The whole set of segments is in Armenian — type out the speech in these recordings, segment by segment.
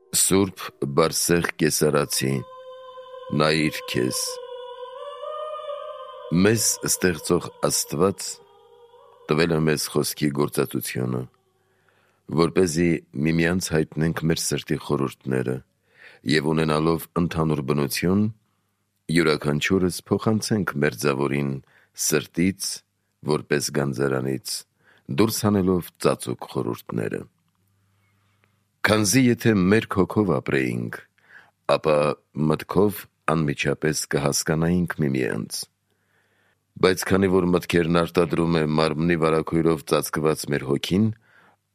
Սուրբ Բարսեղ Կեսարացի, նայիր քեզ, մեզ ստեղծող Աստված տվել է մեզ խոսքի գործածությունը, որպեսզի միմյանց հայտնենք մեր սրտի խորհուրդները և ունենալով ընդհանուր բնություն, յուրաքանչյուրս փոխանցենք մերձավորին սրտից, որպես գանձարանից, դուրս հանելով ծածուկ խորհուրդները։ Քանզի եթե մեր հոգով ապրեինք, ապա մտքով անմիջապես կհասկանայինք միմյանց։ Բայց քանի որ մտքերն արտադրում է մարմնի վարագույրով ծածկված մեր հոգին,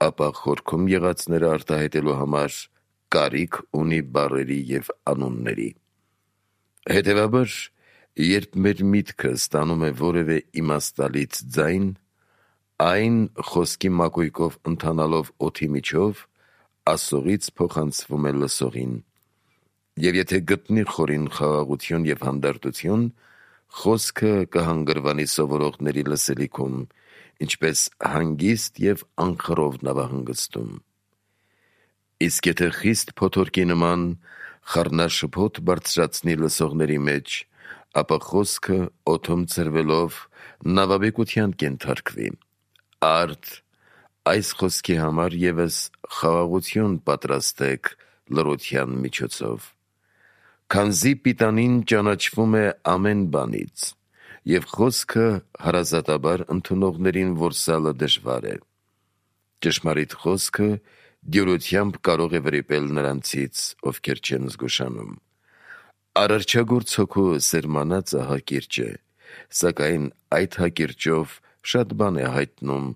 ապա խորքում եղածները արտահայտելու համար կարիք ունի բառերի և անունների։ Հետևաբար, երբ մեր միտքը ստանում է որևէ իմաստալից ձայն, այն խոսքի մակույկով ընթանալով օդի միջով ասողից փոխանցվում է լսողին, և եթե գտնի խորին խաղաղություն և հանդարտություն, խոսքը կհանգրվանի սովորողների լսելիքում, ինչպես հանգիստ և անխռով նավահանգստում։ Իսկ եթե խիստ փոթորկի նման խառնաշփոթ բարձրացնի լսողների մեջ, ապա խոսքը օդում ցրվելով նավաբեկության կենթարկվի։ Արդ, այս խոսքի համար ևս խաղաղություն պատրաստեք լռության միջոցով, քանզի պիտանին ճանաչվում է ամեն բանից, և խոսքը հարազատաբար ընդունողներին որսալը դժվար է։ Ճշմարիտ խոսքը դյուրությամբ կարող է վրիպել նրանցից, ովքեր չեն զգուշանում։ Արարչագործ հոգու սերմանածը հակիրճ է, սակայն այդ հակիրճով շատ բան է հայտնում,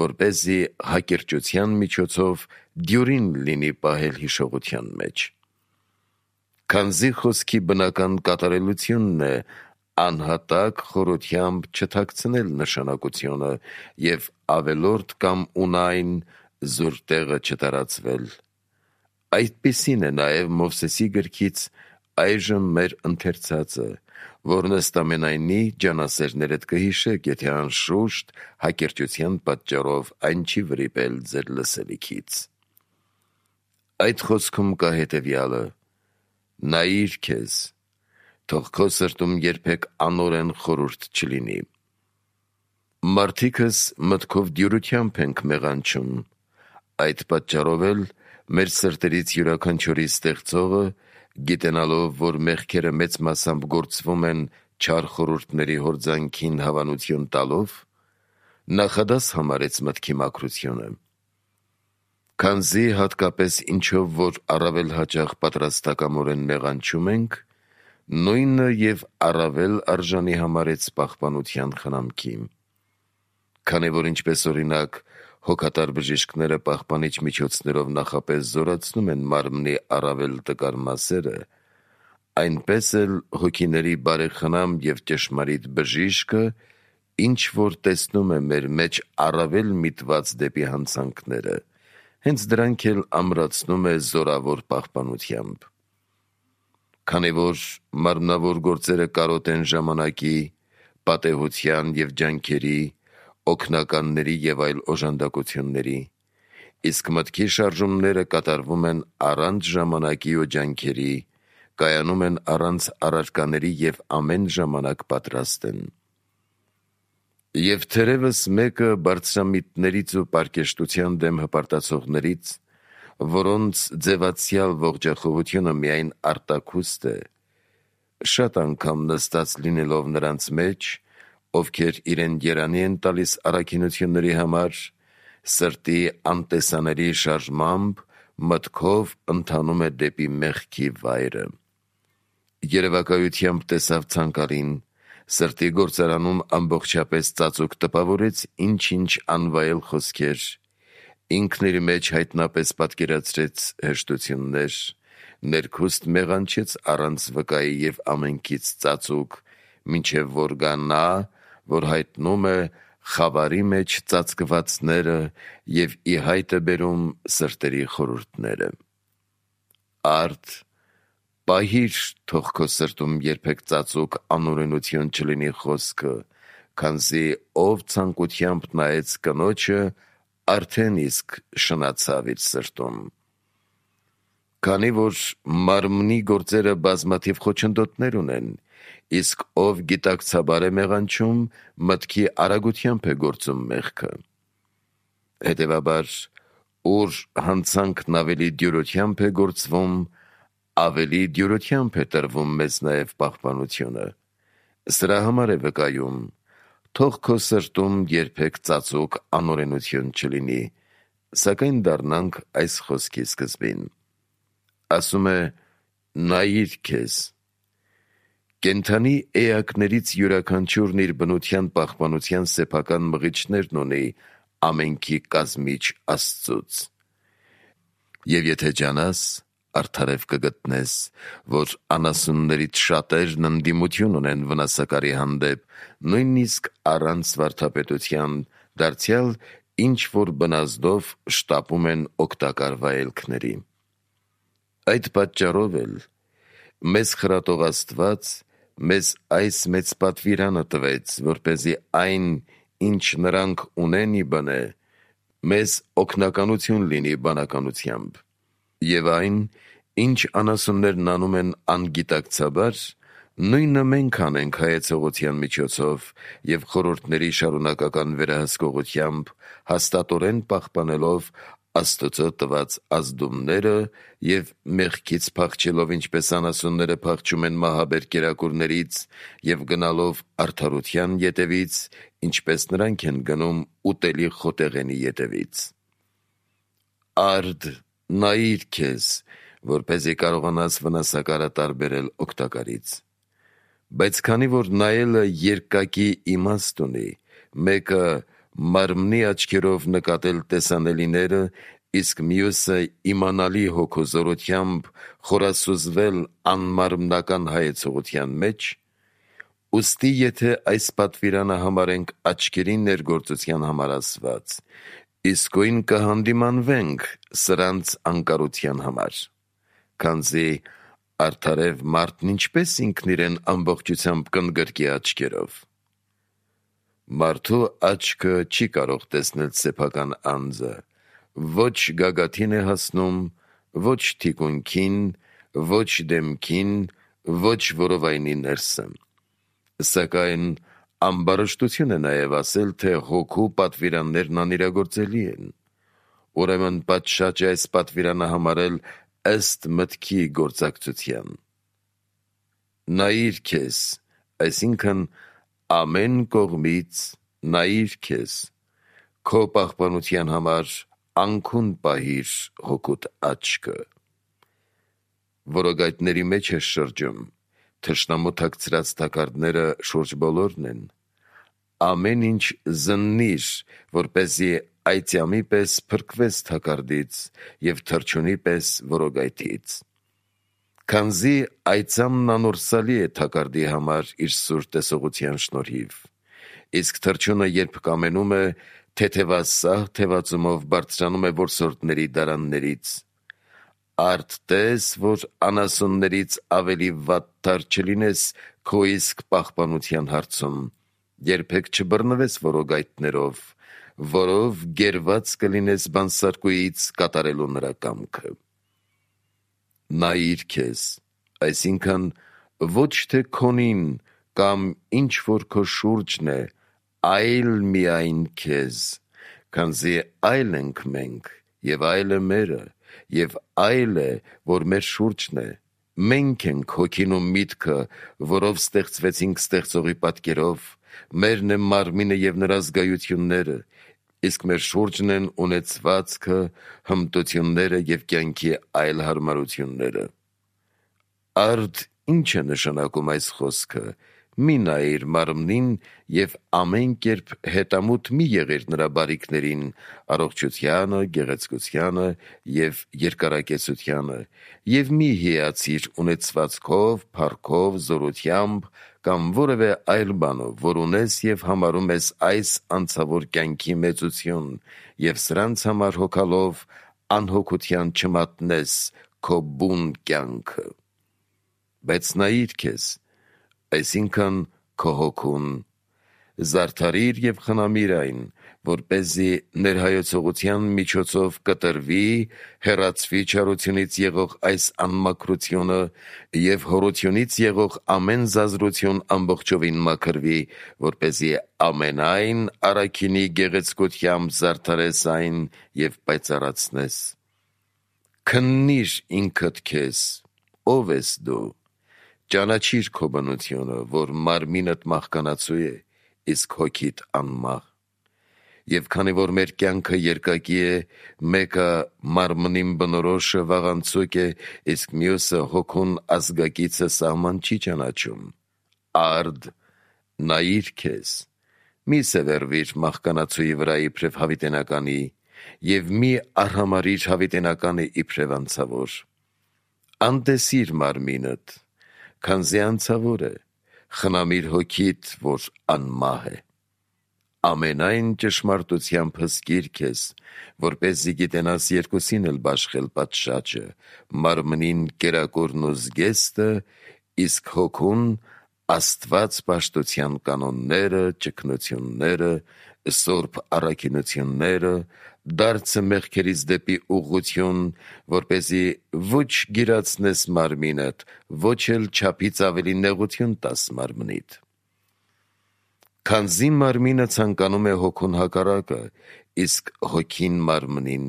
որպեսզի հակիրճության միջոցով դյուրին լինի պահել հիշողության մեջ։ Քանզի խոսքի բնական կատարելությունն է անհատակ խորությամբ չթաքցնել նշանակությունը և ավելորդ կամ ունայն զուր տեղը չտարածվել։ Այդպիսին է նաև Մովսեսի գրքից այժմ մեր ընթերցածը, որն ըստ ամենայնի ջանասերներդ կհիշեք, եթե անշուշտ հակիրճության պատճառով այն չի վրիպել ձեր լսելիքից։ Այդ խոսքում կա հետևյալը. նայիր քեզ, թող քո սրտում երբեք անօրեն խորհուրդ չլինի։ Մարդիկս մտքով դյուրությամբ ենք մեղանչում, այդ պատճառով էլ մեր սրտերից յուրաքանչյուրի ստեղծողը, գիտենալով, որ մեղքերը մեծ մասամբ գործվում են չար խորհուրդների հորձանքին հավանություն տալով, նախադաս համարեց մտքի մաքրությունը։ Քանզի հատկապես ինչով որ առավել հաճախ պատրաստակամորեն մեղանչում ենք, նույնը և առավել արժանի համարեց պահպանության խնամքի։ Քանի որ ինչպես օրինակ հոգատար բժիշկները պահպանիչ միջոցներով նախապես զորացնում են մարմնի առավել տկար մասերը, այնպես էլ հոգիների բարեխնամ և ճշմարիտ բժիշկը ինչ որ տեսնում է մեր մեջ առավել միտված դեպի հանցանքները, հենց դրանք էլ ամրացնում է զորավոր պահպանությամբ։ Քանի որ մարմնավոր գործերը կարոտ են ժամանակի, պատեհության և ջանքերի, օգնականների և այլ օժանդակությունների, իսկ մտքի շարժումները կատարվում են առանց ժամանակի ու ջանքերի, կայանում են առանց առարկաների և ամեն ժամանակ պատրաստ են։ Եվ թերևս մեկը բարձրամիտներից ու պարկեշտության դեմ հպարտացողներից, որոնց ձևացյալ ողջախոհությունը միայն արտաքուստ է, շատ անգամ նստած լինելով նրանց մեջ, ովքեր իրեն երանի են տալիս առաքինությունների համար, սրտի անտեսանելի շարժմամբ մտքով ընթանում է դեպի մեղքի վայրը։ Երևակայությամբ տեսավ ցանկալին, սրտի գործարանում ամբողջապես ծածուկ տպավորեց ինչ-ինչ անվայել խոսքեր, ինքն իր մեջ հայտնապես պատկերացրեց հեշտություններ, ներքուստ մեղանչեց առանց վկայի և ամենքից ծածուկ, մինչև որ գա նա, որ հայտնում է խավարի մեջ ծածկվածները և ի հայտ է բերում սրտերի խորհուրդները։ Արդ, պահիր, թող քո սրտում երբեք ծածուկ անօրենություն չլինի խոսքը, քանզի ով ցանկությամբ նայեց կնոջը, արդեն իսկ շնացավ իր սրտում։ քանի որ մարմնի գործերը բազմաթիվ խոչընդոտներ ունեն, իսկ ով գիտակցաբար է մեղանչում, մտքի արագությամբ է գործում մեղքը։ Հետևաբար, ուր հանցանքն ավելի դյուրությամբ է գործվում, ավելի դյուրությամբ է տրվում մեզ նաև պահպանությունը։ Սրա համար է վկայում. թող քո սրտում երբեք ծածուկ անօրենություն չլինի, սակայն դառնանք այս խոսքի սկզբին։ Ասում է. նայիր քեզ։ Կենդանի էակներից յուրաքանչյուրն իր բնության պահպանության սեփական մղիչներն ունի ամենքի կազմիչ Աստծուց։ Եվ եթե ջանաս, արդարև կգտնես, որ անասուններից շատերն ընդդիմություն ունեն վնասակարի հանդեպ, նույնիսկ առանց վարդապետության, դարձյալ ինչ որ բնազդով շտապում են օգտակար վայելքների։ Այդ պատճառով էլ մեզ խրատող Աստված մեզ այս մեծ պատվիրանը տվեց, որպեսզի այն, ինչ նրանք ունեն ի բնե, մեզ օգնականություն լինի բանականությամբ, եւ այն, ինչ անասուններն անում են անգիտակցաբար, նույնը մենք անենք հայեցողության միջոցով եւ խորհուրդների շարունակական վերահսկողությամբ, հաստատորեն պահպանելով Աստծո տված ազդումները եւ մեղքից փախչելով, ինչպես անասունները փախչում են մահաբեր կերակուրներից, եւ գնալով արդարության ետևից, ինչպես նրանք են գնում ուտելի խոտեղենի ետևից։ Արդ, նայիր քեզ, որպեսզի կարողանաս վնասակարը տարբերել օգտակարից։ Բայց քանի որ նայելը երկակի իմաստ ունի, մեկը մարմնի աչքերով նկատել տեսանելիները, իսկ մյուսը իմանալի հոգու զորությամբ խորասուզվել անմարմնական հայեցողության մեջ, ուստի եթե այս պատվիրանը համարենք աչքերի ներգործության համար ասված, իսկույն կհանդիմանվենք սրանց անկարության համար, քանզի արդարև մարդն ինչպես ինքն իրեն ամբողջությամբ կընդգրկի աչքերով։ Մարդու աչքը չի կարող տեսնել սեփական անձը, ոչ գագաթին է հասնում, ոչ թիկունքին, ոչ դեմքին, ոչ որովայնի ներսը։ Սակայն ամբարշտություն է նաև ասել, թե հոգու պատվիրաններն անիրագործելի են։ Ուրեմն պատշաճ է այս պատվիրանը համարել ըստ մտքի գործակցության։ Նայիր քեզ, այսինքն ամեն կողմից նայիր քեզ, քո պահպանության համար անքուն պահիր հոգուտ աչքը։ Որոգայթների մեջ է շրջում, թշնամու թաքցրած թակարդները շուրջ բոլորն են։ Ամեն ինչ զննիր, որպեսզի այծյամի պես փրկվես թակարդից և թռչունի պես որոգայթից։ Քանզի այծամն անորսալի է թակարդի համար իր սուր տեսողության շնորհիվ, իսկ թռչունը երբ կամենում է, թեթևասահ թևածումով բարձրանում է որսորդների դարաններից։ Արդ տես, որ անասուններից ավելի վատթար չլինես քո իսկ պահպանության հարցում, երբեք չբռնվես որոգայթներով, որով գերված կլինես բանսարկուից կատարելու նրա կամքը։ Նայիր քեզ, այսինքն ոչ թե քոնին կամ ինչ որ քո շուրջն է, այլ միայն քեզ, քանզի այլ ենք մենք, եւ այլ է մերը, եւ այլ է, որ մեր շուրջն է, մենք ենք հոգին ու միտքը, որով ստեղծվեցինք ստեղծողի պատկերով, մերն է մարմինը եւ նրա զգայությունները, իսկ մեր շուրջն են ունեցվածքը, հմտությունները եւ կյանքի այլ հարմարությունները։ Արդ ինչ է նշանակում այս խոսքը. մի նայիր մարմնին եւ ամեն կերպ հետամուտ մի եղիր նրա բարիքներին, առողջությանը, գեղեցկությանը եւ երկարակեցությանը, եւ մի հիացիր ունեցվածքով, փառքով, զորությամբ կամ որևէ այլ բանով, որ ունես եւ համարում ես այս անցավոր կյանքի մեծություն, եւ սրանց համար հոգալով անհոգության չմատնես քո բուն կյանքը։ Բայց նայիր քեզ, այսինքն քո հոգուն, զարդարիր եւ խնամիր այն, որպեսզի ներհայեցողության միջոցով կտրվի, հեռացվի չարությունից եղող այս անմաքրությունը և հորությունից եղող ամեն զազրություն ամբողջովին մաքրվի, որպեսզի ամենայն առաքինի գեղեցկությամբ զարդարես այն և պայծառացնես։ Քննիր ինքդ քեզ, ով ես դու, ճանաչիր քո բնությունը, որ մարմինդ մահկանացու է, իսկ հոգիդ անմահ։ Եվ քանի որ մեր կյանքը երկակի է, մեկը մարմնին բնորոշը վաղանցուկ է, իսկ մյուսը հոգուն ազգակիցը սահման չի ճանաչում։ Արդ, նայիր քեզ, մի սևեռվիր մահկանացուի վրա իբրև հավիտենականի, և մի արհամարհիր հավիտենականը իբրև անցավոր։ Անտեսիր մարմինդ, քանզի անցավոր է, խնամիր հոգիդ, որ անմահ է։ Ամենայն ճշմարտությամբ հսկիր քեզ, որպեսզի գիտենաս երկուսին էլ բաշխել պատշաճը, մարմնին կերակուրն ու զգեստը, իսկ հոգուն Աստված պաշտության կանոնները, ճգնությունները, սուրբ առաքինությունները, դարձը մեղքերից դեպի ուղղություն, որպեսզի ոչ գիրացնես մարմինդ, ոչ էլ չափից ավելի նեղություն տաս մարմնիդ։ Քանզի մարմինը ցանկանում է հոգուն հակառակը, իսկ հոգին մարմնին,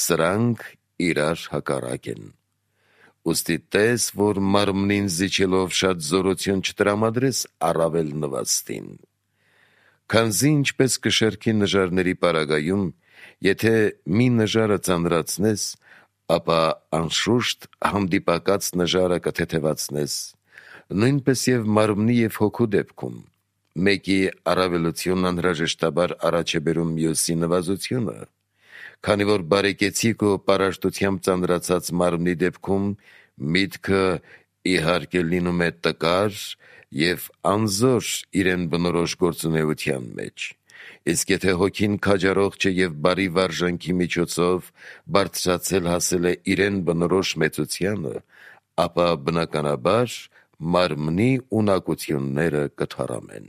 սրանք իրար հակառակ են։ Ուստի տես, որ մարմնին զիջելով շատ զորություն չտրամադրես առավել նվաստին։ Քանզի ինչպես կշեռքի նժարների պարագայում, եթե մի նժարը ծանրացնես, ապա անշուշտ հանդիպակաց նժարը կթեթևացնես, նույնպես և մարմնի և հոգու դեպքում, մեկի առավելությունն անհրաժեշտաբար առաջ է բերում մյուսի նվազությունը, քանի որ բարեկեցիկ ու պարարտությամբ ծանրացած մարմնի դեպքում միտքը իհարկե լինում է տկար և անզոր իրեն բնորոշ գործունեության մեջ, իսկ եթե հոգին քաջառող չէ և բարի վարժանքի միջոցով բարձրացել հասել է իրեն բնորոշ մեծությանը, ապա բնականաբար մարմնի ունակությունները կթառամեն։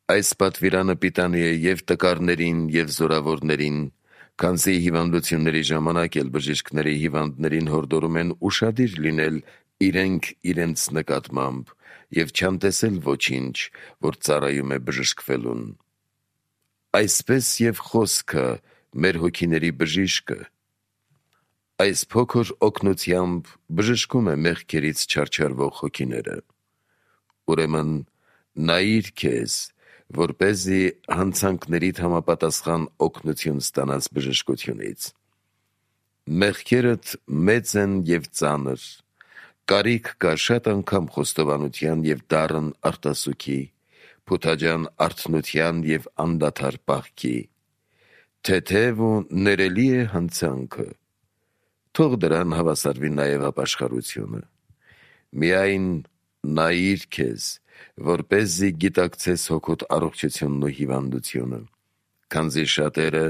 Այս պատվիրանը պիտանի է և տկարներին, և զորավորներին, քանզի հիվանդությունների ժամանակ էլ բժիշկները հիվանդներին հորդորում են ուշադիր լինել իրենք իրենց նկատմամբ և չանտեսել ոչինչ, որ ծառայում է բժշկվելուն։ Այսպես և խոսքը մեր հոգիների բժիշկը այս փոքր օգնությամբ բժշկում է մեղքերից չարչարվող հոգիները։ Ուրեմն նայիր քեզ, որպեսզի հանցանքներիդ համապատասխան օգնություն ստանաս բժշկությունից։ Մեղքերդ մեծ են և ծանր, կարիք կա շատ անգամ խոստովանության և դառն արտասուքի, փութաջան արթնության և անդադար պահքի։ Թեթև ու ներելի է հանցանքը, թող դրան հավասարվի նաև ապաշխարությունը։ Միայն նայիր քեզ, որպեսզի գիտակցես հոգուդ առողջությունն ու հիվանդությունը, քանզի շատերը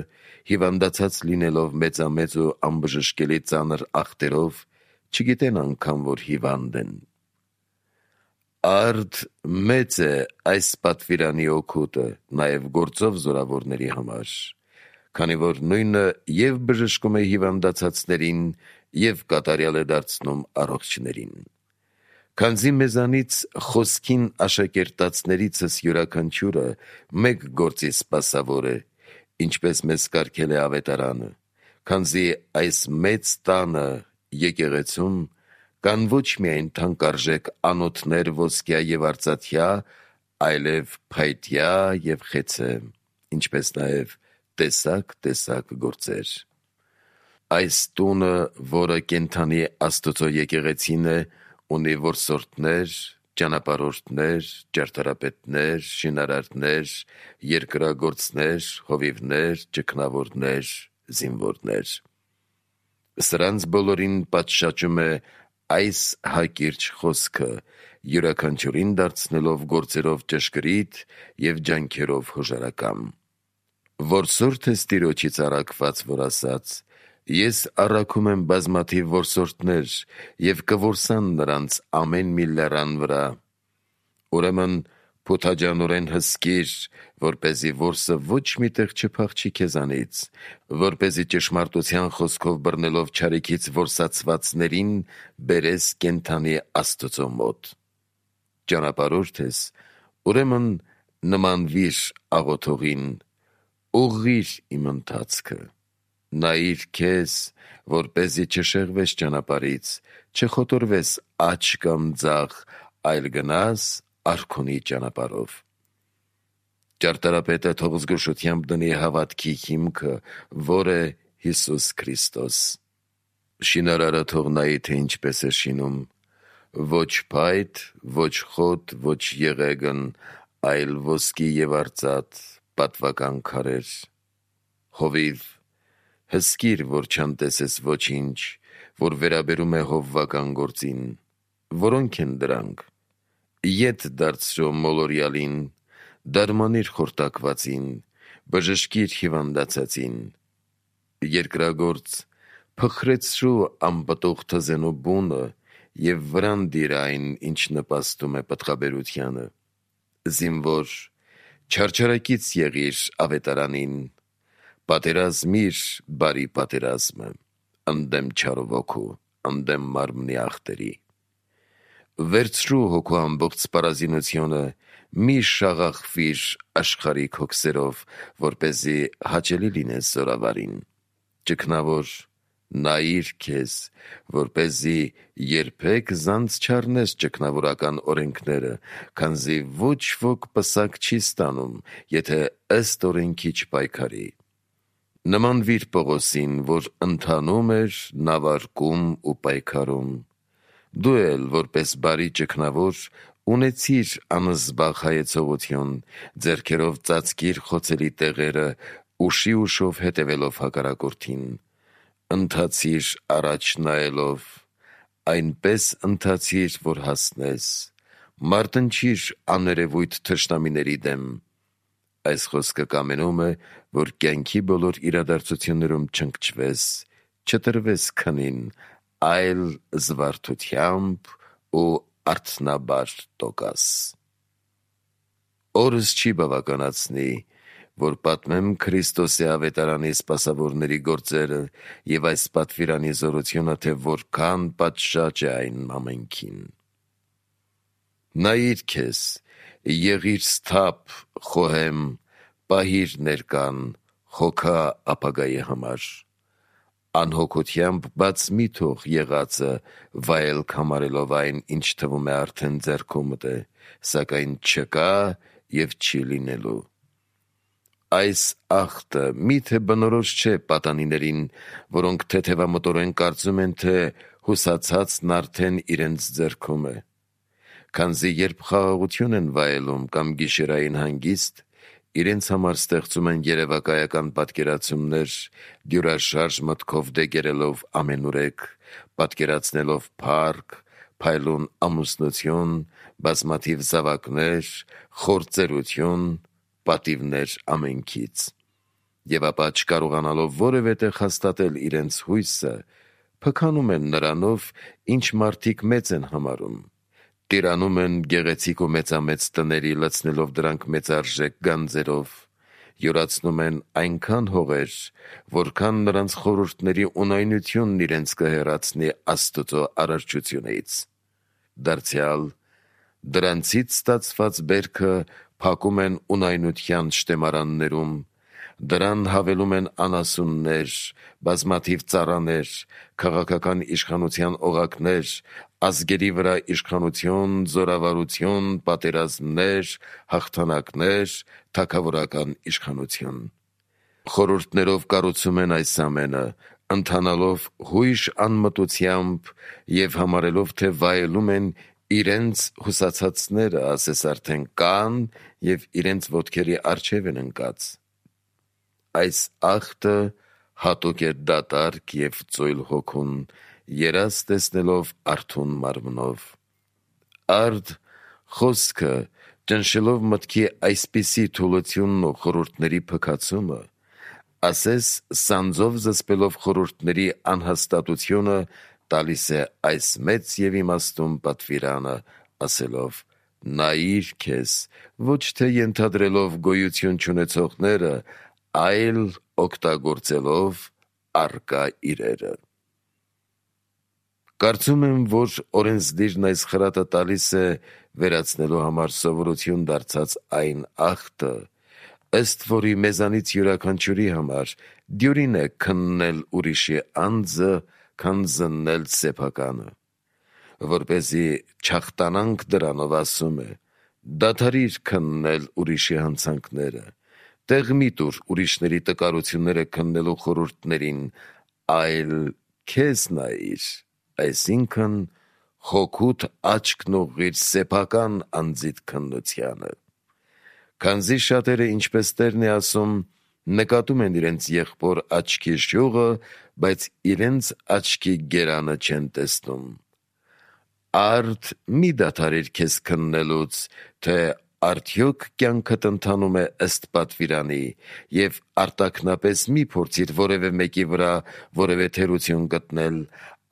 հիվանդացած լինելով մեծամեծ ու անբժշկելի ծանր ախտերով չգիտեն անգամ, որ հիվանդ են։ Արդ մեծ է այս պատվիրանի օգուտը նաև գործով զորավորների համար, քանի որ նույնը և բժշկում է հիվանդացածներին, և կատարյալ է դարձնում առողջներին։ Քանզի մեզանից խոսքին աշակերտածներիցս յուրաքանչյուրը մեկ գործի սպասավոր է, ինչպես մեզ կարգել է ավետարանը, քանզի այս մեծ տանը եկեղեցում կան ոչ միայն թանկարժեք անոթներ ոսկյա և արծաթյա, այլև փայտյա և խեցե, ինչպես նաև տեսակ գործեր։ Այս տունը, որը կենդանի Աստծո եկեղեցին է, ունի որսորդներ, ճանապարհորդներ, ճարտարապետներ, շինարարներ, երկրագործներ, հովիվներ, ճգնավորներ, զինվորներ։ Սրանց բոլորին պատշաճում է այս հակիրճ խոսքը, յուրաքանչյուրին դարձնելով գործերով ճշգրիտ և ջանքերով հոժարակամ։ Որսորդ ես Տիրոջից առաքված, որ ասաց. «Ես առաքում եմ բազմաթիվ որսորդներ, և կորսան նրանց ամեն մի լեռան վրա»։ Ուրեմն փոթաջանորեն հսկիր, որպեսզի որսը ոչ միտեղ չփախչի քեզանից, որպեսզի ճշմարտության խոսքով բռնելով չարիքից որսացվածներին բերես կենդանի Աստծո մոտ։ Ճանապարհորդ ես, ուրեմն նմանվիր աղոթողին, ուղղիր իմ ընթացքը, նայիր քեզ, որպեսզի չշեղվես ճանապարհից, չխոտորվես աջ կամ ձախ, այլ գնաս արքունի ճանապարհով։ Ճարտարապետը թող զգուշությամբ դնի հավատքի հիմքը, որ է Հիսուս Քրիստոս։ Շինարարը թող նայի, թե ինչպես է շինում, ոչ փայտ, ոչ խոտ, ոչ եղեգն, այլ ոսկի և արծաթ, պատվական քարեր։ Հովիվ, հսկիր, որ չանտեսես ոչինչ, որ վերաբերում է հովվական գործին։ Որոնք են դրանք։ Ետ դարձրո մոլորյալին, դարմանիր խորտակվածին, բժշկիր հիվանդացածին։ Երկրագործ, փխրեցրու անպտուղ թզենու բունը և վրան դիր այն, ինչ նպաստում է պտղաբերությանը։ Զինվոր, չարչարակից եղիր ավետարանին, պատերազմիր բարի պատերազմը, ընդդեմ չարու ոգու, ընդդեմ մարմնի ախտերի։ Վերցրու հոգու ամբողջ սպառազինությունը, մի շաղախվիր աշխարհիկ հոգսերով, որպեսզի հաճելի լինես զորավարին։ Ճգնավոր, նայիր քեզ, որպեսզի երբեք զանց չառնես ճգնավորական օրենքները, քանզի ոչ ոք պսակ չի ստանում, եթե ըստ օրենքի չպայքարի։ Նմանվիր Պողոսին, որ ընթանում էր նավարկում ու պայքարում։ Դու էլ, որպես բարի ճգնավոր, ունեցիր անզբաղ հայեցողություն, ձեռքերով ծածկիր խոցելի տեղերը, ուշով հետևելով հակառակորդին։ Ընթացիր առաջ նայելով, այնպես ընթացիր, որ հասնես, մարտնչիր աներևույթ թշնամիների դեմ։ Այս խոսքը կամենում է, որ կյանքի բոլոր իրադարձություններում չընկճվես, չտրվես քնին, այլ զվարթությամբ ու արթնաբար տոկաս։ Օրս չի բավականացնի, որ պատմեմ Քրիստոսի ավետարանի սպասավորների գործերը և այս պատվիրանի զորությունը, թե որքան պատշաճ է այն ամենքին։ Նայիր քեզ, եղիր սթափ, խոհեմ, պահիր ներկան, հոգա ապագայի համար։ Անհոգությամբ բաց մի թող եղածը, վայելք համարելով այն, ինչ թվում է արդեն ձեռքումդ է, սակայն չկա և չի լինելու։ Այս ախտը միթե բնորոշ չէ պատանիներին, որոնք թեթևամտորեն կարծում են, թե հուսացածն արդեն իրենց ձեռքում է։ Քանզի երբ խաղաղություն են վայելում կամ գիշերային հանգիստ, իրենց համար ստեղծում են երևակայական պատկերացումներ, դյուրաշարժ մտքով դեգերելով ամենուրեք, պատկերացնելով փառք, փայլուն ամուսնություն, բազմաթիվ զավակներ, խոր ծերություն, պատիվներ ամենքից։ Եվ ապա չկարողանալով որևէ տեղ հաստատել իրենց հույսը, փքանում են նրանով, ինչ մարդիկ մեծ են համարում։ Տիրանում են գեղեցիկ ու մեծամեծ տների, լցնելով դրանք մեծարժեք գանձերով, յուրացնում են այնքան հողեր, որքան նրանց խորհուրդների ունայնությունն իրենց կհեռացնի Աստծո արարչությունից։ Դարձյալ, դրանցից ստացված բերքը փակում են ունայնության շտեմարաններում, դրան հավելում են անասուններ, բազմաթիվ ծառաներ, քաղաքական իշխանության օղակներ, ազգերի վրա իշխանություն, զորավարություն, պատերազմներ, հաղթանակներ, թագավորական իշխանություն։ Խորհուրդներով կառուցում են այս ամենը, ընթանալով հույժ անմտությամբ և համարելով, թե վայելում են իրենց հուսացածները, ասես արդեն կան և իրենց ոտքերի առջև են ընկած։ Այս ախտը հատուկ է դատարկ և ծույլ հոգուն, երազ տեսնելով արթուն մարմնով։ Արդ խոսքը, ճնշելով մտքի այսպիսի թուլությունն ու խորհուրդների փքացումը, ասես սանձով զսպելով խորհուրդների անհաստատությունը, տալիս է այս մեծ և իմաստուն պատվիրանը, ասելով. նայիր քեզ, ոչ թե ենթադրելով գոյություն չունեցողները, այլ օգտագործելով առկա իրերը։ Կարծում եմ, որ օրենսդիրն այս խրատը տալիս է վերացնելու համար սովորություն դարձած այն ախտը, ըստ որի մեզանից յուրաքանչյուրի համար դյուրին է քննել ուրիշի անձը, քան զննել սեփականը, որպեսզի չախտանանք դրանով, ասում է. դադարիր քննել ուրիշի հանցանքները, տեղ մի տուր ուրիշների տկարությունները քննելու խորհուրդներին, այլ քեզ նայիր, այսինքն հոգուդ աչքն ուղղիր սեփական անձիդ քննությանը։ Քանզի շատերը, ինչպես Տերն է ասում, նկատում են իրենց եղբոր աչքի շյուղը, բայց իրենց աչքի գերանը չեն տեսնում։ Արդ մի դադարիր քեզ քննելուց, թե արդյոք կյանքդ ընթանում է ըստ պատվիրանի, և արտաքնապես մի փորձիր որևէ մեկի վրա որևէ թերություն գտնել,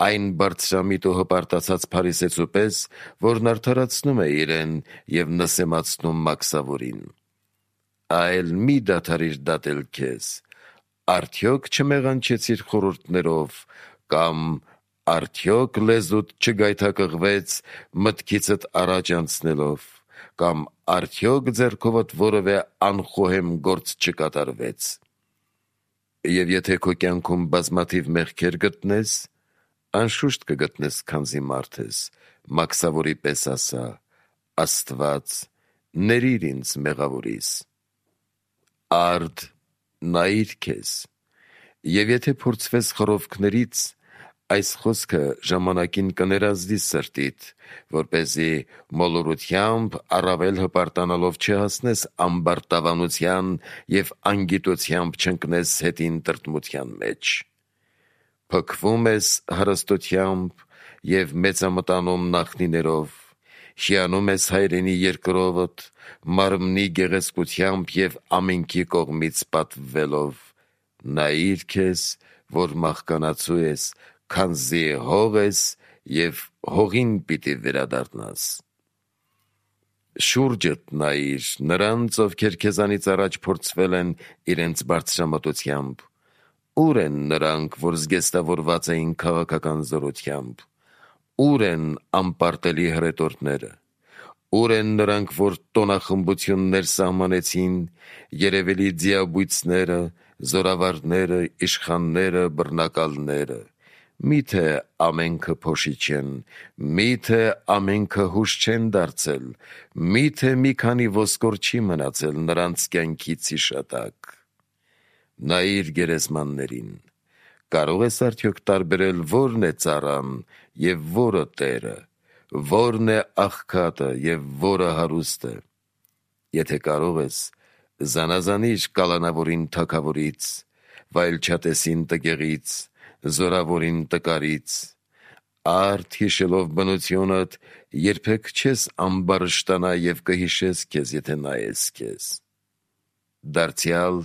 այն բարձրամիտ ու հպարտացած փարիսեցու պես, որն արդարացնում է իրեն և նսեմացնում մաքսավորին։ Այլ մի դադարիր դատել քեզ, արդյոք չմեղանչեցիր խորհուրդներով, կամ արդյոք լեզուդ չգայթակղվեց մտքիցդ առաջ անցնելով, կամ արդյոք ձեռքովդ որևէ անխոհեմ գործ չկատարվեց։ Եվ եթե քո կյանքում բազմաթիվ մեղքեր գտնես, անշուշտ կգտնես, քանզի մարդ ես, մաքսավորի պես ասա. Աստված, ներիր ինձ մեղավորիս։ Արդ նայիր քեզ, և եթե փորձվես խռովքներից, այս խոսքը ժամանակին կներազդի սրտիդ, որպեսզի մոլորությամբ առավել հպարտանալով չհասնես ամբարտավանության և անգիտությամբ չընկնես հետին տրտմության մեջ։ Փքվում ես հարստությամբ և մեծամտանում նախնիներով, հիանում ես հայրենի երկրովդ, մարմնի գեղեցկությամբ և ամենքի կողմից պատվվելով, նայիր քեզ, որ մահկանացու ես, քանզի հող ես և հողին պիտի վերադառնաս։ Շուրջդ նայիր նրանց, ովքեր քեզանից առաջ փորձվել են իրենց բարձրամտությամբ, ո՞ւր են նրանք, որ զգեստավորված էին քաղաքական զորությամբ, ո՞ւր են անպարտելի հրետորները, ո՞ւր են նրանք, որ տոնախմբություններ սահմանեցին, երևելի ձիաբույծները, զորավարները, իշխանները, բռնակալները, միթե ամենքը փոշի չեն, միթե ամենքը հուշ չեն դարձել, միթե մի քանի ոսկոր չի մնացել նրանց կյանքից հիշատակ։ Նայիր գերեզմաններին, կարող ես արդյոք տարբերել որն է ծառան և որը տերը, որն է աղքատը և որը հարուստը։ Եթե կարող ես, զանազանիր կալանավորին թագավորից, վայելչատեսին տգեղից, զորավորին տկարից։ Արդ հիշելով բնությունդ, երբեք չես ամբարշտանա և կհիշես քեզ, եթե նայես քեզ։ Դարձյալ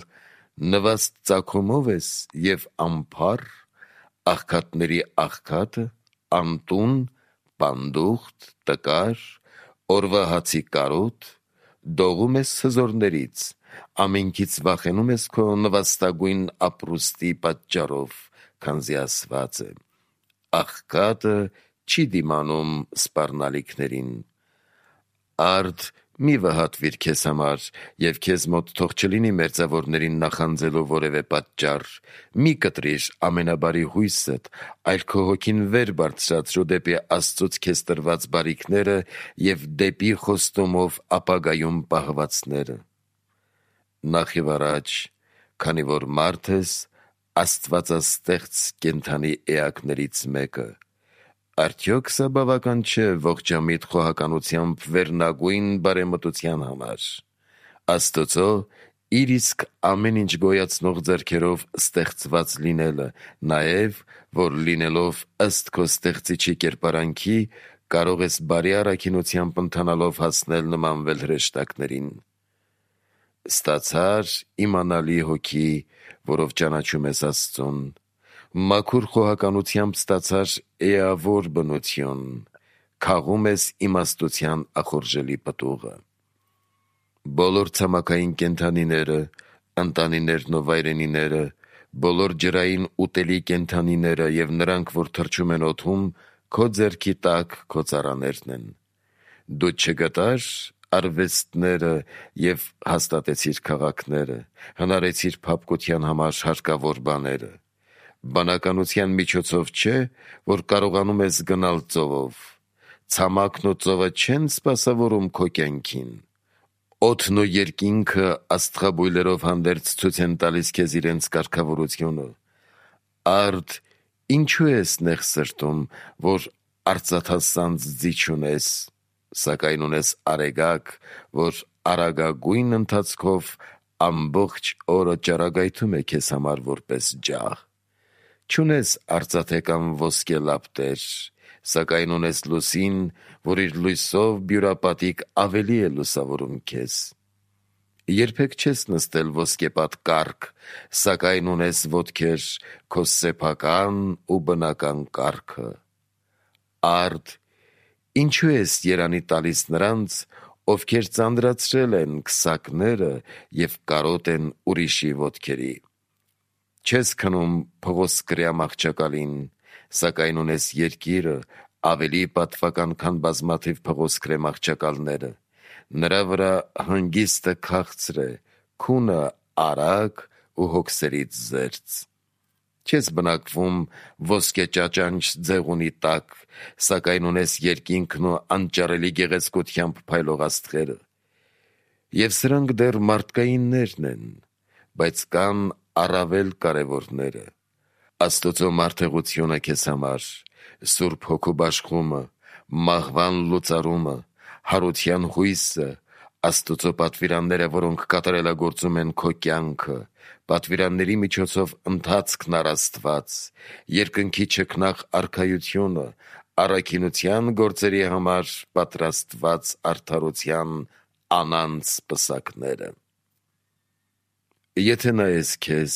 նվաստ ծագումով ես և անփառ, աղքատների աղքատը, անտուն, պանդուխտ, տկար, օրվա հացի կարոտ, դողում ես հզորներից, ամենքից վախենում ես քո նվաստագույն ապրուստի պատճառով, քանզի ասված է. աղքատը չի դիմանում սպառնալիքներին։ Արդ մի վհատվիր քեզ համար և քեզ մոտ թող չլինի մերձավորներին նախանձելու որևէ պատճառ, մի կտրիր ամենաբարի հույսդ, այլ քո հոգին վեր բարձրացրու դեպի Աստծուց քեզ տրված բարիքները և դեպի խոստումով ապագայում պահվածները։ Նախ և առաջ, քանի որ մարդ ես, աստվածաստեղծ կենդանի էակներից մեկը, արդյոք սա բավական չէ ողջամիտ խոհականությամբ վերնագույն բարեմտության համար, Աստծո իր իսկ ամեն ինչ գոյացնող ձեռքերով ստեղծված լինելը, նաև, որ լինելով ըստ քո ստեղծիչի կերպարանքի, կարող ես բարի առաքինությամբ ընթանալով հասնել նմանվել հրեշտակներին։ Ստացար իմանալի հոգի, որով ճանաչում ես Աստծուն, մաքուր խոհականությամբ ստացար էավոր բնություն, քաղում ես իմաստության ախորժելի պտուղը։ Բոլոր ցամաքային կենդանիները, ընտանիներն ու վայրենիները, բոլոր ջրային ուտելի կենդանիները եւ նրանք, որ թռչում են օդում, քո ձեռքի տակ քո ծառաներն են։ Դու չգտար արվեստները եւ հաստատեցիր քաղաքները, հնարեցիր փափկության համար հարկավոր բաները։ Բանականության միջոցով չէ, որ կարողանում ես գնալ ծովով։ Ցամաքն ու ծովը չեն սպասավորում քո կյանքին։ Օդն ու երկինքը աստղաբույլերով հանդերձ ցույց են տալիս քեզ իրենց կարգավորությունը։ Արդ, ինչու ես նեղ սրտում, որ արծաթասանձ ձի չունես, սակայն ունես արեգակ, որ արագագույն ընթացքով ամբողջ օրը ճառագայթում է քեզ համար որպես ջահ։ Չունես արծաթե կամ ոսկե լապտեր, սակայն ունես լուսին, որ իր լույսով բյուրապատիկ ավելի է լուսավորում քեզ։ Երբեք չես նստել ոսկեպատ կառք, սակայն ունես ոտքեր քո սեփական ու բնական կառքը։ Արդ, ինչու ես երանի տալիս նրանց, ովքեր ծանրացրել են քսակները եւ կարոտ են ուրիշի ոտքերի։ Չես քնում փղոսկրյա մահճակալին, սակայն ունես երկիրը ավելի պատվական, քան բազմաթիվ փղոսկրե մահճակալները։ Նրա վրա հանգիստը քաղցր է, քունը արագ ու հոգսերից զերծ։ Չես բնակվում ոսկե ճաճանչ ձեղունի տակ, սակայն ունես երկինքն ու անճարելի գեղեցկությամբ փայլող աստղերը։ Եվ սրանք դեռ մարդկայիններն են, բայց կան առավել կարևորները։ Աստծո մարդեղությունը քեզ համար, Սուրբ Հոգու բաշխումը, մահվան լուծարումը, հարության հույսը, Աստծո պատվիրանները, որոնք կատարելագործում են քո կյանքը, պատվիրանների միջոցով ընթացքն առ Աստված, երկնքի չքնաղ արքայությունը, առաքինության գործերի համար պատրաստված արդարության անանց պսակները։ Եթե նայես քեզ,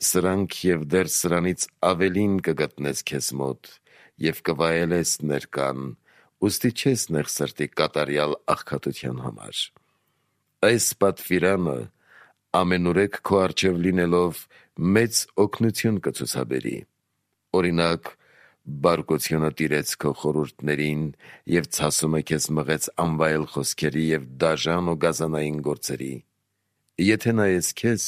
սրանք եւ դեռ սրանից ավելին կգտնես քեզ մոտ եւ կվայելես ներկան, ուստի չես նեղ սրտի կատարյալ աղքատության համար։ Այս պատվիրանը ամենուրեք քո առջև լինելով մեծ օգնություն կցուցաբերի։ Օրինակ, բարկությունը տիրեց քո խորհուրդներին եւ ցասումը քեզ մղեց անվայել խոսքերի եւ դաժան ու գազանային գործերի։ Եթե նայես քեզ,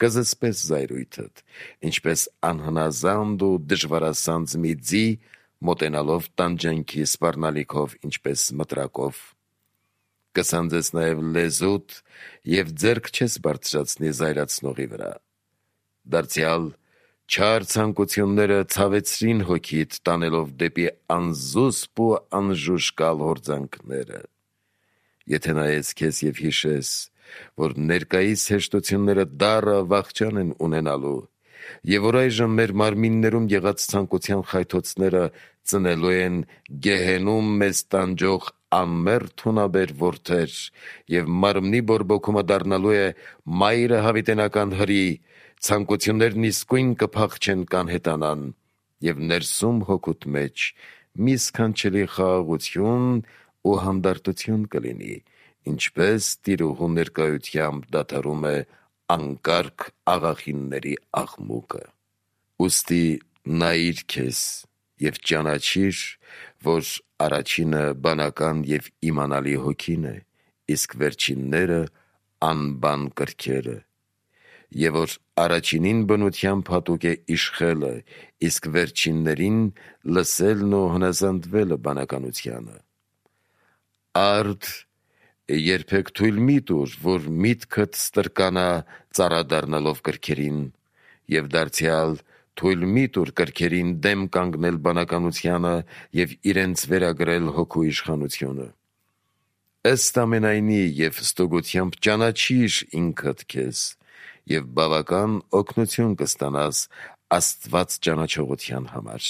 կզսպես զայրույթդ, ինչպես անհնազանդ ու դժվարասանձ մի ձի, մոտենալով տանջանքի սպառնալիքով, ինչպես մտրակով։ Կսանձես նաև լեզուդ եւ ձեռք չես բարձրացնի զայրացնողի վրա։ Դարձյալ չար ցանկությունները ցավեցրին հոգիդ, տանելով դեպի անզուսպ ու անժուշկալ հորձանքները։ Եթե նայես քեզ եւ հիշես, որ ներկայիս հեշտությունները դառը վախճան են ունենալու, եւ որ այժմ մեր մարմիններում եղած ցանկության խայթոցները ծնելու են գեհենում մեզ տանջող անմեռ թունաբեր որդեր, եւ մարմնի բորբոքումը դառնալու է մայրը հավիտենական հրի, ցանկություններն իսկույն կփախչեն կանհետանան, եւ ներսում հոգուտ մեջ մի սքանչելի խաղաղություն ու հանդարտություն կլինի, ինչպես տիրուհու ներկայությամբ դադարում է անկարգ աղախինների աղմուկը։ Ուստի նայիր քեզ եւ ճանաչիր, որ առաջինը բանական եւ իմանալի հոգին է, իսկ վերջինները անբան կրքերը, եւ որ առաջինին բնությամբ հատուկ է իշխելը, իսկ վերջիններին լսելն ու հնազանդվելը բանականությանը։ Արդ, երբեք թույլ մի տուր, որ միտքդ ստրկանա ծառադառնալով կրքերին, եւ դարձյալ թույլ մի տուր կրքերին դեմ կանգնել բանականությանը եւ իրենց վերագրել հոգու իշխանությունը։ Ըստ ամենայնի եւ ստուգությամբ ճանաչիր ինքդ քեզ եւ բավական օգնություն կստանաս Աստված ճանաչողության համար։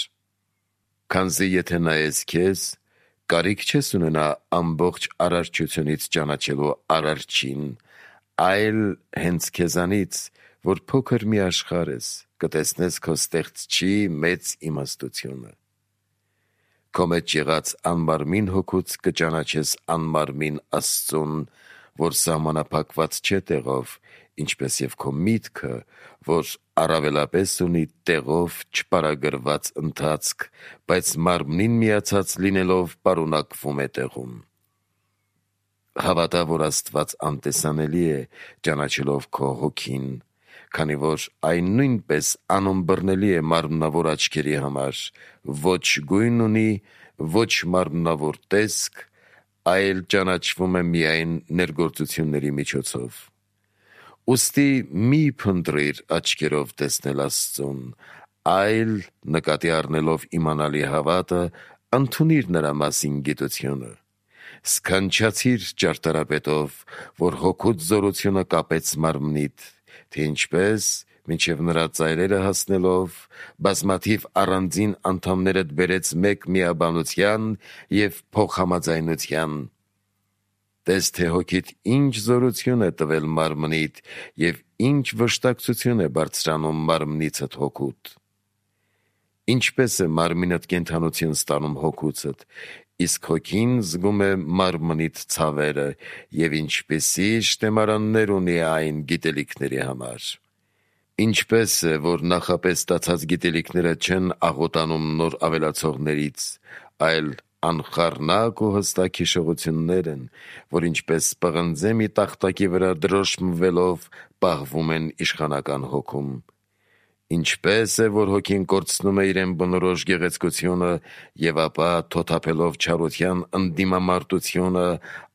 Քանզի եթե նայես քեզ, կարիք չես ունենա ամբողջ արարչությունից ճանաչելու Արարչին, այլ հենց քեզանից, որ փոքր մի աշխարհ ես, կտեսնես քո ստեղծչի մեծ իմաստությունը։ քո մեջ եղած անմարմին հոգուց կճանաչես անմարմին Աստծուն, որ սահմանափակված չէ տեղով, ինչպես եւ քո միտքը, որ առավելապես ունի տեղով չպարագրված ընթացք, բայց մարմնին միացած լինելով պարունակվում է տեղում։ Հավատա, որ Աստված անտեսանելի է, ճանաչելով քո հոգին, քանի որ այն նույնպես անըմբռնելի է մարմնավոր աչքերի համար, ոչ գույն ունի, ոչ մարմնավոր տեսք, այլ ճանաչվում է միայն ներգործությունների միջոցով։ Ուստի մի փնտրիր աչքերով տեսնել Աստծուն, այլ նկատի առնելով իմանալի հավատը, ընդունիր նրա մասին գիտությունը։ Սքանչացիր ճարտարապետով, որ հոգուց զորությունը կապեց մարմնիդ, թե ինչպես, մինչև նրա ծայրերը հասնելով, բազմաթիվ առանձին անդամներդ բերեց մեկ միաբանության և փոխհամաձայնության։ Տես, թե հոգիդ ինչ զորություն է տվել մարմնիդ և ինչ վշտակցություն է բարձրանում մարմնիցդ հոգուտ։ Ինչպես է մարմինդ կենդանություն ստանում հոգուցդ, իսկ հոգին զգում է մարմնիդ ցավերը և ինչպիսի շտեմարաններ ունի այն գիտելիքների համար։ Ինչպես է, որ նախապես ստացած գիտելիքները չեն աղոտանում նոր ավելացողներից, այլ անխառնակ ու հստակ հիշողություններ են, որ ինչպես պղնձե մի տախտակի վրա դրոշմվելով պահվում են իշխանական հոգում։ Ինչպես է, որ հոգին կորցնում է իրեն բնորոշ գեղեցկությունը և ապա թոթափելով չարության ընդդիմամարտությունը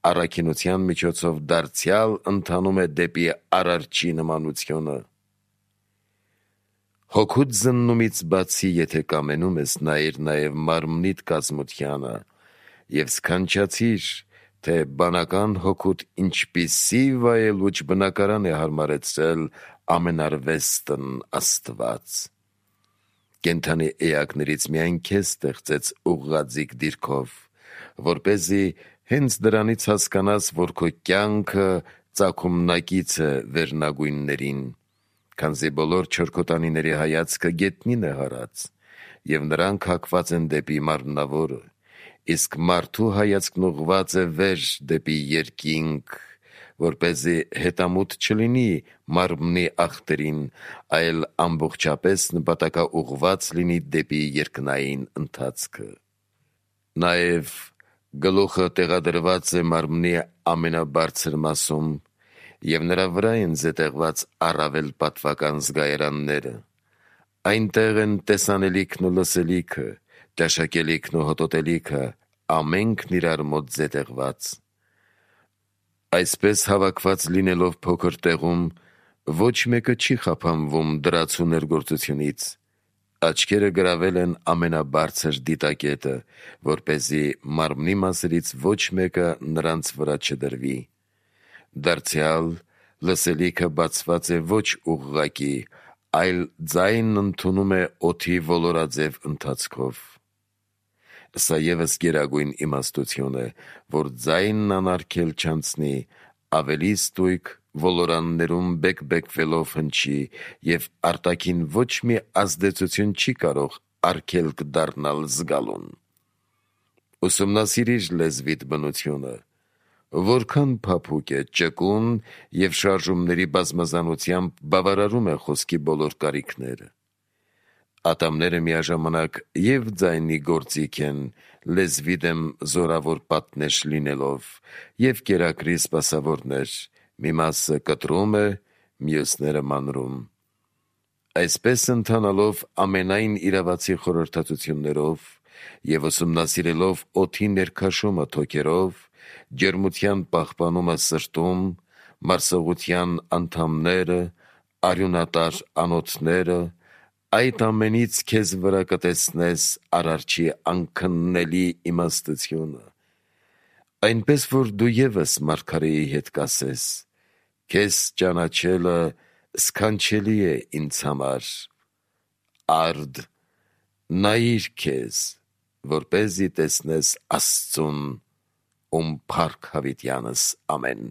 առաքինության միջոցով դարձյալ ընթանում է դեպի արարչի նմանությունը։ Հոգուց զննումից բացի, եթե կամենում ես, նայիր նաև մարմնիդ կազմությանը և սքանչացիր, թե բանական հոգուտ ինչպիսի վայելուչ բնակարան է հարմարեցրել ամենարվեստն Աստված։ Կենդանի էակներից միայն քեզ ստեղծեց ուղղաձիգ դիրքով, որպեսզի հենց դրանից հասկանաս, որ քո կյանքը ծագումնակից է վերնագույններին, քանզի բոլոր չորքոտանիների հայացքը գետնին է հարած, և նրանք հակված են դեպի մարմնավորը, իսկ մարդու հայացքն ուղղված է վեր դեպի երկինք, որպեսզի հետամուտ չլինի մարմնի ախտերին, այլ ամբողջապես նպատակաուղղված լինի դեպի երկնային ընթացքը։ Նաև գլուխը տեղադրված է մարմնի ամենաբարձր մասում, և նրա վրա են զետեղված առավել պատվական զգայարանները։ Այնտեղ են տեսանելիքն ու լսելիքը, ճաշակելիքն ու հոտոտելիքը, ամենքն իրար մոտ զետեղված։ Այսպես հավաքված լինելով փոքր տեղում, ոչ մեկը չի խափանվում դրացու ներգործությունից։ Աչքերը գրավել են ամենաբարձր դիտակետը, որպեսզի մարմնի մասերից ոչ մեկը նրանց վրա չդրվի։ Դարձյալ լսելիքը բացված է ոչ ուղղակի, այլ ձայնն ընդունում է օդի ոլորաձև ընթացքով։ Սա ևս գերագույն իմաստություն է, որ ձայնն անարգել չանցնի, ավելի ստույգ ոլորաններում բեկբեկվելով հնչի և արտաքին ոչ մի ազդեցություն չի կարող արգելք դառնալ զգալուն։ Ուսումնասիրիր լեզվիդ բնությունը, որքան փափուկ է, ճկուն և շարժումների բազմազանությամբ բավարարում է խոսքի բոլոր կարիքները։ Ատամները միաժամանակ և ձայնի գործիք են, լեզվի դեմ զորավոր պատնեշ լինելով, և կերակրի սպասավորներ, մի մասը կտրում է, մյուսները մանրում։ Այսպես ընթանալով ամենայն իրավացի խորհրդածություններով և ուսումնասիրելով օդի ներքաշումը թոքերով, ջերմության պահպանումը սրտում, մարսողության անդամները, արյունատար անոթները, այդ ամենից քեզ վրա կտեսնես Արարչի անքննելի իմաստությունը, այնպես որ դու ևս մարգարեի հետ կասես. «Քեզ ճանաչելը սքանչելի է ինձ համար»։ Արդ, նայիր քեզ, որպեսզի տեսնես Աստծուն, ում փառք հավիտյանս ամեն։